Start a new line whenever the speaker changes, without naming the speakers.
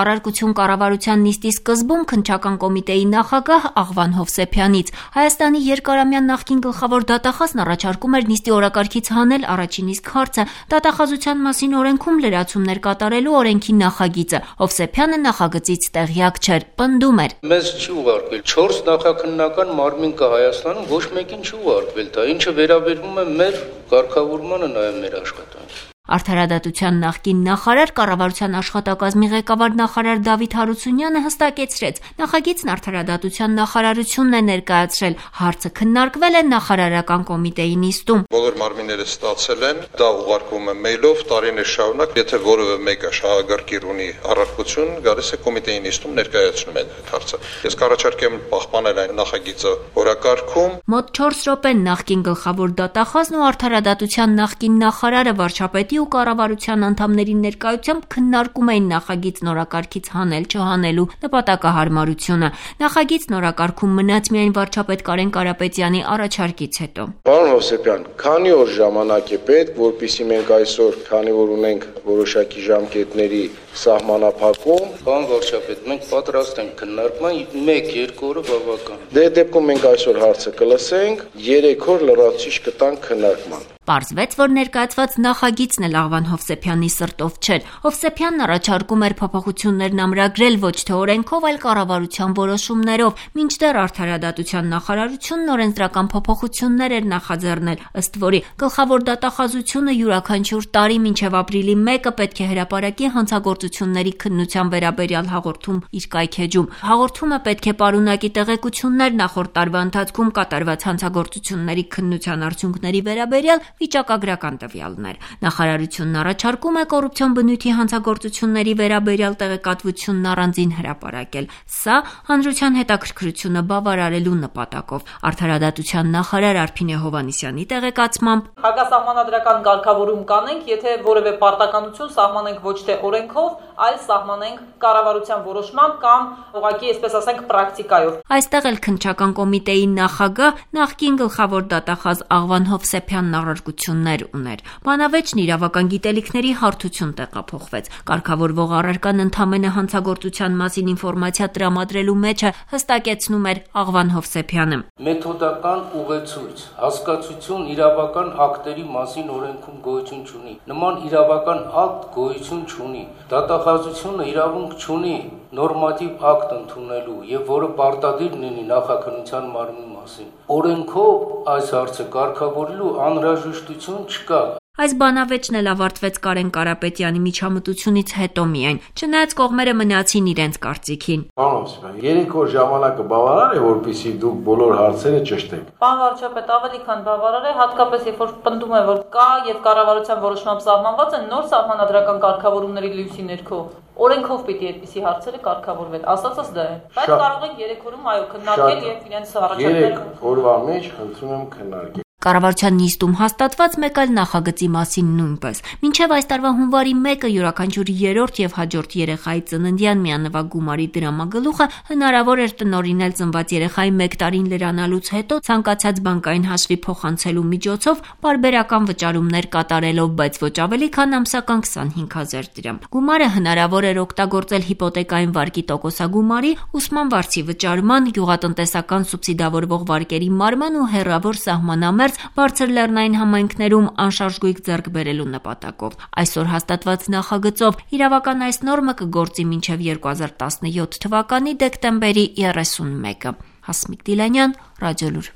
Առարկություն կառավարության նիստի սկզբում քննչական կոմիտեի նախագահ Աղվան Հովսեփյանից Հայաստանի երկարամյա նախկին գլխավոր դատախազն առաջարկում էր նիստի օրակարգից հանել առաջին իսկ հարցը դատախազության մասին օրենքում լրացումներ կատարելու օրենքի նախագիծը։ Հովսեփյանը նախագծից տեղյակ չէր, պնդում էր.
Մեզ չի ուղարկվել 4 նախաքննական մարմին կա Հայաստանում, ոչ մեկին չի ուղարկվել դա, ինչը վերաբերում է մեր կարգավորմանը, նաև մեր աշխատանքին։
Արդարադատության նախկին նախարար, կառավարության աշխատակազմի ղեկավար նախարար Դավիթ Հարությունյանը հստակեցրեց, նախագիծն արդարադատության նախարարությունն է ներկայացրել, հարցը քննարկվել է նախարարական կոմիտեի նիստում։
Բոլոր մարմինները ստացել են, դա ուղարկվում է մեյլով տարիներ շարունակ, եթե որևէ մեկը շահագրգիռ ունի առարկություն, գալիս է կոմիտեի նիստում ներկայացնում է այդ հարցը։ Ես կառաջարկեմ պահպանել այն նախագիծը օրակարգում։
Մոտ 4 րոպե նախկին գլխավոր դատախազն ու արդարադատության նախկին նախարարը վարչապետի ու կառավարության անդամների ներկայությամբ քննարկում էին նախագիծն օրակարգից հանել-չհանելու նպատակահարմարությունը։ Նախագիծն օրակարգում մնաց միայն վարչապետ Կարեն Կարապետյանի առաջարկից հետո։
Պարոն Հովսեփյան, քանի օր ժամանակ է պետք, որպեսզի մենք այսօր, քանի որ ունենք որոշակի ժամկետների սահմանափակում,
Պարոն վարչապետ, մենք պատրաստ ենք քննարկման 1-2 օրը բավական։
Դե դեպքում մենք այսօր հարցը կլսենք, 3 օր լրացուցիչ կտանք քննարկման։
Պարզվեց, որ ներկայացված նախագիծն էլ Աղվան Հովսեփյանի սրտով չէր։ Հովսեփյանն առաջարկում էր փոփոխություններն ամրագրել ոչ թե օրենքով, այլ կառավարության որոշումներով, մինչդեռ արդարադատության նախարարությունն օրենսդրական փոփոխություններ էր նախաձեռնել, ըստ որի գլխավոր դատախազությունը յուրաքանչյուր տարի մինչև ապրիլի 1-ը պետք է հրապարակի հանցագործությունների քննության վերաբերյալ հաղորդում իր կայքեջում։ Հաղորդումը պետք է պարունակի տեղեկություններ նախորդ տարվա ընթացքում կատարված հանցագործությունների քննության արդյունքների վերաբերյալ վիճակագրական տվյալներ։ Նախարարությունն առաջարկում է կոռուպցիոն բնույթի հանցագործությունների վերաբերյալ տեղեկատվությունն առանձին հրապարակել։ Սա հանրության հետաքրքրությունը բավարարելու նպատակով։ Արդարադատության նախարար Արփինե Հովհաննիսյանի տեղեկացմամբ
հակասահմանադրական կարգավորում կանենք, եթե որևէ պարտականություն սահմանենք ոչ թե օրենքով, այլ սահմանենք կառավարության որոշմամբ կամ ուղղակի, այսպես ասենք, պրակտիկայով։
Այստեղ էլ քննչական կոմիտեի նախագահ նախկին գլխավոր դատախազ Աղվան Հովսեփյանն առարկություններ ուներ։ Բանավեճն իրավական գիտելիքների հարթություն տեղափոխվեց։ Կարգավորվող առարկան ընդամենը հանցագործության մասին ինֆորմացիա տրամադրելու մեջ է, հստակեցնում էր Աղվան Հովսեփյանը։
Մեթոդական ուղեցույց, հասկացություն իրավական ակտերի մասին օրենքում գոյություն չունի։ Նման իրավական ակտ գոյություն չունի։ Դատախազությունը իրավունք չունի նորմատիվ ակտ ընդունելու եւ որը պարտադիր լինի նախաքննության մարմնի մասին։ Օրենքով այս հարցը կարգավորելու անհրաժեշտություն չկա։
Այս բանավեճն էլ ավարտվեց Կարեն Կարապետյանի միջամտությունից հետո միայն, չնայած կողմերը մնացին իրենց կարծիքին։
Պարոն Հովսեփյան, 3 օր ժամանակը բավարար է, որպեսզի դուք բոլոր հարցերը ճշտեք։
Պարոն վարչապետ, ավելի քան բավարար է, հատկապես երբ որ պնդում է, որ կա եւ կառավարության որոշմամբ սահմանված են նոր սահմանադրական կարգավորումների լույսի ներքո։ Օրենքով պիտի այդպիսի հարցերը կարգավորվեն, ասածս դա է։ Բայց կարող ենք 3 օրում այո քննարկել եւ իրենց առաջարկել։
3 օրվա մեջ խնդրում եմ քննարկել։
Կառավարության նիստում հաստատված մեկ այլ նախագծի մասին նույնպես։ Մինչև այս տարվա հունվարի 1-ը յուրաքանչյուր 3-րդ եւ հաջորդ երեխայի ծննդյան միանվագ գումարի դրամագլուխը հնարավոր էր տնօրինել ծնված երեխայի 1 տարին լրանալուց հետո ցանկացած բանկային հաշվի փոխանցելու միջոցով պարբերական վճարումներ կատարելով, բայց ոչ ավելի քան ամսական 25000 դրամ։ Գումարը հնարավոր էր օգտագործել հիպոթեկային վարկի տոկոսագումարի, ուսման վարձի վճարման, գյուղատնտեսական սուբսիդավորվող վարկերի մարման ու հեռավոր սահմանամերձ բարձր լեռնային համայնքներում անշարժ գույք ձեռք բերելու նպատակով։ Այսօր հաստատված նախագծով իրավական այս նորմը կգործի մինչև 2017 թվականի դեկտեմբերի 31-ը։ Հասմիկ Դիլանյան, Ռադիոլուր։